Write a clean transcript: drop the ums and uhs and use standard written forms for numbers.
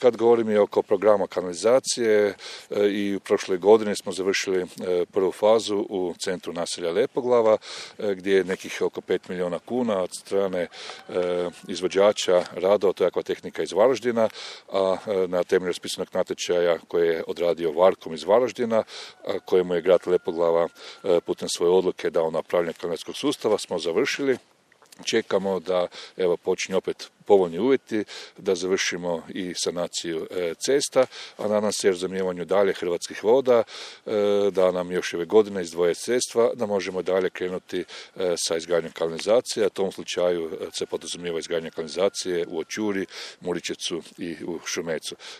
Kad govorim i oko programa kanalizacije, i u prošloj godini smo završili prvu fazu u centru naselja Lepoglava, gdje je nekih oko 5 milijuna kuna od strane izvođača radova, to je Akvatehnika iz Varaždina, a na temelju raspisanog natječaja koje je odradio Varkom iz Varaždina, kojemu je grad Lepoglava putem svoje odluke dao napravljanje kanalskog sustava, smo završili. Čekamo da počinju opet povoljni uvjeti, da završimo i sanaciju cesta, a nadam se razumijevanju dalje Hrvatskih voda, da nam još ove godine izdvoje sredstva, da možemo dalje krenuti sa izgradnjom kanalizacije, a u tom slučaju se podrazumijeva izgradnja kanalizacije u Očuri, Muričecu i u Šumecu.